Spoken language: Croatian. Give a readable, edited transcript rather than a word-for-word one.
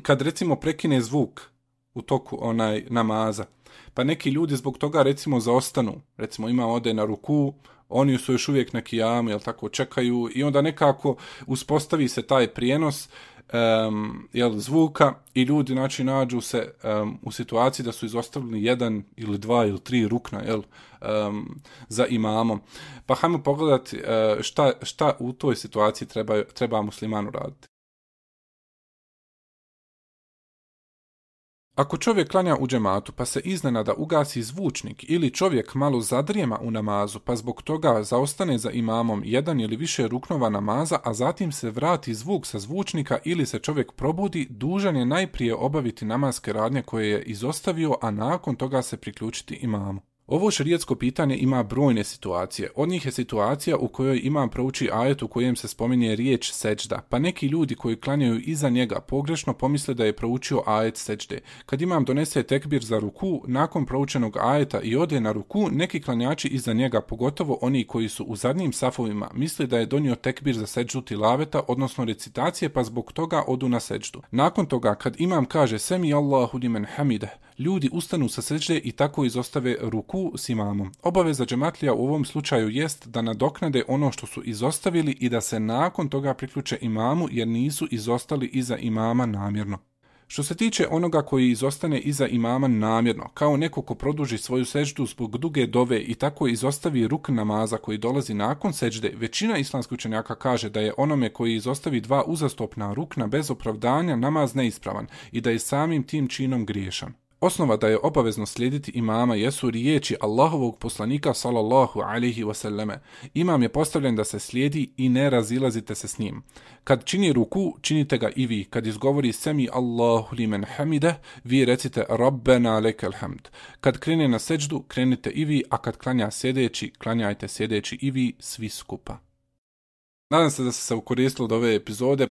kad recimo prekine zvuk u toku namaza, pa neki ljudi zbog toga recimo zaostanu, recimo ima ode na ruku, oni su još uvijek na kijamu, jel tako, čekaju i onda nekako uspostavi se taj prijenos zvuka i ljudi znači nađu se u situaciji da su izostavili jedan ili dva ili tri rukna za imamom. Pa hajmo pogledati šta u toj situaciji treba muslimanu raditi. Ako čovjek klanja u džematu pa se iznenada ugasi zvučnik ili čovjek malo zadrijema u namazu pa zbog toga zaostane za imamom jedan ili više ruknova namaza, a zatim se vrati zvuk sa zvučnika ili se čovjek probudi, dužan je najprije obaviti namaske radnje koje je izostavio, a nakon toga se priključiti imamu. Ovo šerijatsko pitanje ima brojne situacije. Od njih je situacija u kojoj imam prouči ajet u kojem se spominje riječ seđda, pa neki ljudi koji klanjaju iza njega pogrešno pomisle da je proučio ajet seđde. Kad imam donese tekbir za ruku, nakon proučenog ajeta i ode na ruku, neki klanjači iza njega, pogotovo oni koji su u zadnjim safovima, misle da je donio tekbir za seđdu tilaveta, odnosno recitacije, pa zbog toga odu na seđdu. Nakon toga, kad imam kaže semi Allahu limen hamide, ljudi ustanu sa seđde i tako izostave ruku s imamom. Obaveza džematlija u ovom slučaju jest da nadoknade ono što su izostavili i da se nakon toga priključe imamu jer nisu izostali iza imama namjerno. Što se tiče onoga koji izostane iza imama namjerno, kao neko ko produži svoju seđdu zbog duge dove i tako izostavi ruk namaza koji dolazi nakon seđde, većina islamskih učenjaka kaže da je onome koji izostavi dva uzastopna rukna bez opravdanja namaz neispravan i da je samim tim činom griješan. Osnova da je obavezno slijediti imama jesu riječi Allahovog poslanika sallallahu alaihi wasallame. Imam je postavljen da se slijedi i ne razilazite se s njim. Kad čini ruku, činite ga i vi. Kad izgovori semi Allahu limen hamide, vi recite Rabbena lekel hamd. Kad krene na seđdu, krenite i vi, a kad klanja sjedeći, klanjajte sjedeći i vi, svi skupa. Nadam se da ste se ukoristili od ove epizode.